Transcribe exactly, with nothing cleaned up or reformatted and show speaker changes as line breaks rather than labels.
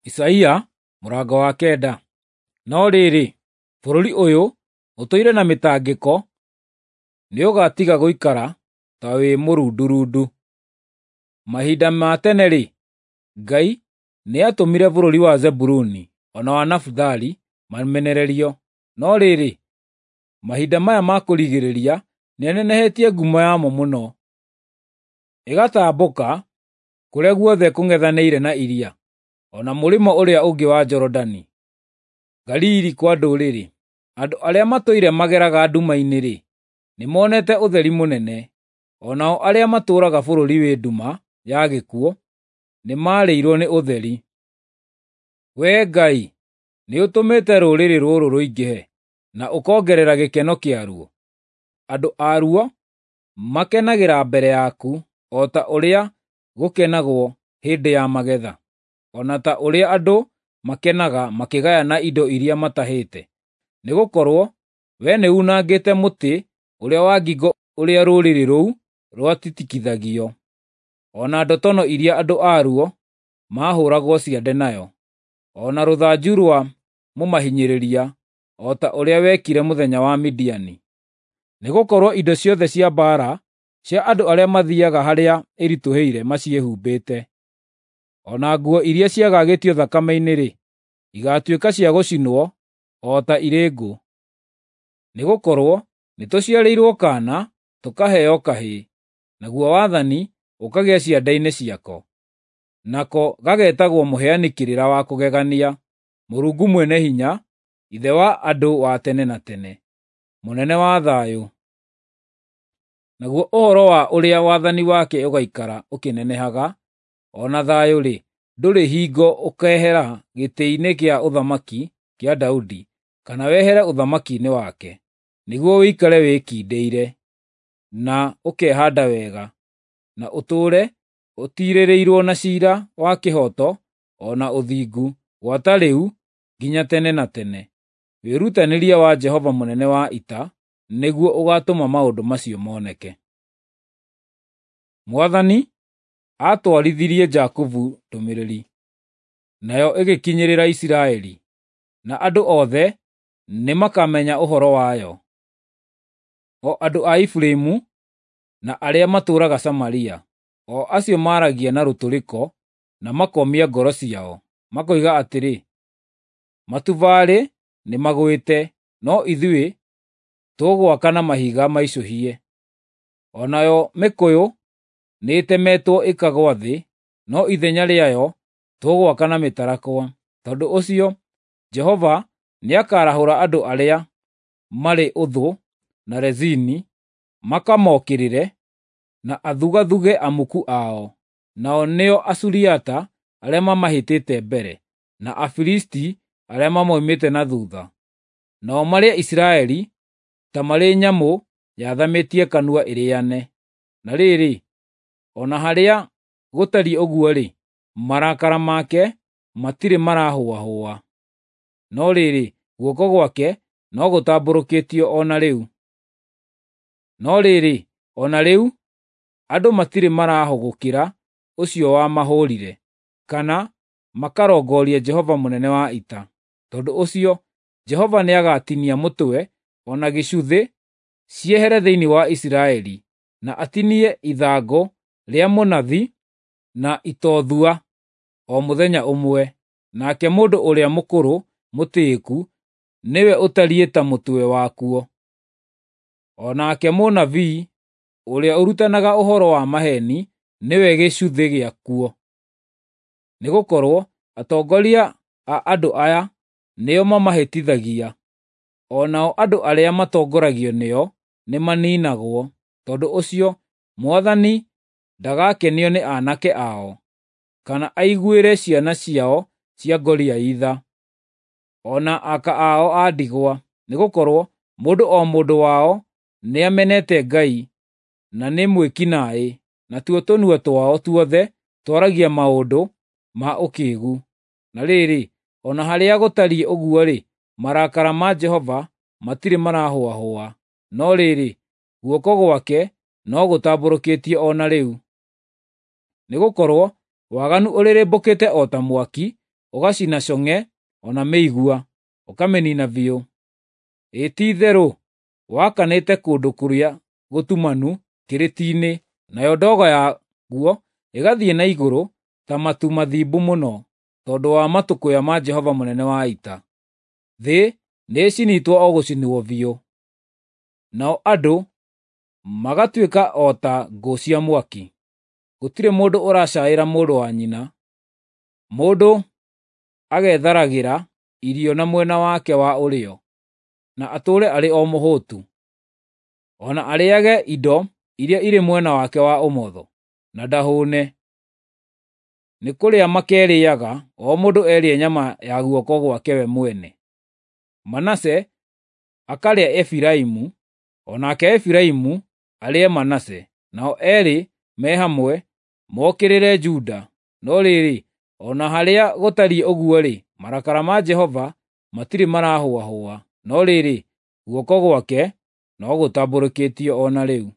Isaia mũrango wa kenda. No rĩrĩ, bũrũri ũyũ ũtũire na mĩtangĩko nĩũgatiga gũikara ta wĩ mũrundurundu. Mahinda ma tene-rĩ, Ngai nĩatũmire bũrũri wa Zebuluni o na wa Nafitali mamenererio, no rĩrĩ, mahinda maya ma kũrigĩrĩria nĩanenehetie ngumo yamo mũno, ĩgatambũka kũrĩa guothe kũng'ethanĩire na iria, o na mũrĩmo ũrĩa ũngĩ wa Jorodani, Galili kwa ndũrĩrĩ. Andũ arĩa matũire mageraga nduma-inĩ-rĩ, nĩmonete ũtheri mũnene; o nao arĩa matũũraga bũrũri wĩ nduma ya gĩkuũ nĩmarĩirwo nĩ ũtheri. Wee Ngai, nĩũtũmĩte rũrĩrĩ rũrũ rũingĩhe, na ũkongerera gĩkeno kĩaruo. Andũ aruo makenagĩra mbere yaku o ta ũrĩa gũkenagwo hĩndĩ ya magetha, o na ta ũrĩa andũ makenaga makĩgayana indo iria matahĩte. Nĩgũkorwo wee nĩunangĩte mũtĩ ũrĩa wa ngingo ũrĩa rũrĩrĩ rũu rwatitikithagio, o na ndotono iria andũ aruo maahũũragwo ciande nayo, o na rũthanju rwa mũmahinyĩrĩria, o ta ũrĩa wekire mũthenya wa Midiani. Nĩgũkorwo indo ciothe cia mbaara cia andũ arĩa mathiiaga harĩa ĩritũhĩire maciĩhumbĩte. O na nguo iria ciagagĩtio thakame-inĩ-rĩ, igaatuĩka cia gũcinwo o ta irĩ ngũ. Nĩgũkorwo nĩtũciarĩirwo kaana, tũkaheo kahĩĩ, naguo wathani ũkagĩa ciande-inĩ ciako. Nako gagetagwo Mũheani Kĩrĩra wa Kũgegania, Mũrungu Mwene-Hinya, Ithe wa andũ wa tene na tene, Mũnene wa Thayũ. Naguo ũhoro wa ũrĩa wathani wake ũgaikara ũkĩnenehaga, o na thayũ-rĩ, ndũrĩ hingo ũkehera gĩtĩ-inĩ kĩa ũthamaki kĩa Daudi, kana wehere ũthamaki-inĩ wake, nĩguo ũikare wĩkindĩire, na ũkehaanda wega, na ũtũũre ũtiirĩrĩirwo na ciira wa kĩhooto o na ũthingu, gwata rĩu nginya tene na tene. Wĩrutanĩria wa Jehova mũnene wa ita nĩguo ũgaatũma maũndũ macio moneke. Mwathani aatwarithirie Jakubu ndũmĩrĩri, nayo ĩgĩkinyĩrĩra Isiraeli, na andũ othe nĩmakamenya ũhoro wayo, o andũ a Efiraimu na arĩa matũũraga Samaria, o acio maaragia na rũtũrĩko na makomia ngoro ciao, makoiga atĩrĩ, “Matubarĩ nĩmagwĩte, no ithuĩ tũgwaka na mahiga maicũhie. O nayo mĩkũyũ nĩĩtemetwo ĩkagũa thĩ, no ithenya rĩayo tũgwaka na mĩtarakwa.” Tondũ ũcio Jehova nĩakarahũra andũ arĩa marĩ ũthũ na Rezini makamokĩrĩre, na athugathuge amuku ao, nao nĩo Asuriata arĩa mamahĩtĩte mbere, na Afilisti arĩa mamoimĩte na thuutha. Nao marĩe Isiraeli ta marĩ nyamũ yathamĩtie kanua ĩrĩane. Na rĩrĩ, o na harĩa gũtariĩ ũguo-rĩ, marakara make matirĩ marahũahũa, no rĩrĩ, guoko gwake no gũtambũrũkĩtio o na rĩu. No rĩrĩ, o na rĩu andũ matirĩ marahũgũkĩra ũcio wamahũũrire, kana makarongoria Jehova mũnene wa ita. Tondũ ũcio Jehova nĩagatinia mũtwe o na gĩcuthĩ ciehere thĩinĩ wa Isiraeli, na atinie ithangũ rĩa mũnathi na itothua o mũthenya ũmwe, nake mũndũ ũrĩa mũkũrũ mũtĩĩku nĩwe ũtariĩ ta mũtwe wakuo. O nake mũnabii ũrĩa ũrutanaga ũhoro wa maheeni nĩwe gĩcuthĩ gĩakuo. Nĩgũkorwo atongoria a andũ aya nĩo mamahĩtithagia, o nao andũ arĩa matongoragio nĩo nĩmaniinagwo. Tondũ ũcio Mwathani ndagakenio nĩ aanake ao, kana aiguĩre ciana ciao cia ngoriai tha, o na aka ao a ndigwa, nĩgũkorwo mũndũ o mũndũ wao nĩamenete Ngai na nĩ mwĩki naĩ, natuo tũnua twao tuothe twaragia maũndũ ma ũkĩĩgu. Na rĩrĩ, o na harĩa gũtariĩ ũguo-rĩ, marakara ma Jehova matirĩ marahũahũa, no rĩrĩ, guoko gwake no gũtambũrũkĩtio o na rĩu. Nĩgũkorwo waganu ũrĩrĩmbũkĩte o ta mwaki, ũgacina cong'e o na mĩigua, ũkamĩnina biũ. Ĩ ti-itherũ wakanĩte kũndũ kũrĩa gũtumanu kĩrĩti-inĩ, nayo ndogo yaguo ĩgathiĩ na igũrũ ta matu mathimbu mũno, tondũ wa matũkũya ma Jehova Mũnene wa Ita. Thĩ nĩĩcinĩtwo o gũcinwo biũ, nao andũ magatuĩka o ta ngũ cia mwaki. Gũtirĩ mũndũ ũracaĩra mũrũ wa nyina, mũndũ agetharagĩra irio na mwena wake wa ũrĩo, na atũũre arĩ o mũhũtu, o na arĩage indo iria irĩ mwena wake wa ũmotho, na ndahũne. Nĩ kũrĩa makerĩĩaga, o mũndũ erĩe nyama ya guoko gwake we mwene. Manase akarĩa Efiraimu, o nake Efiraimu arĩe Manase, nao eerĩ me hamwe mokĩrĩre Juda. No rĩrĩ, o na harĩa gũtariĩ ũguo-rĩ, marakara ma Jehova matirĩ marahũahũa, no rĩrĩ, guoko gwake no gũtambũrũkĩtio o na rĩu.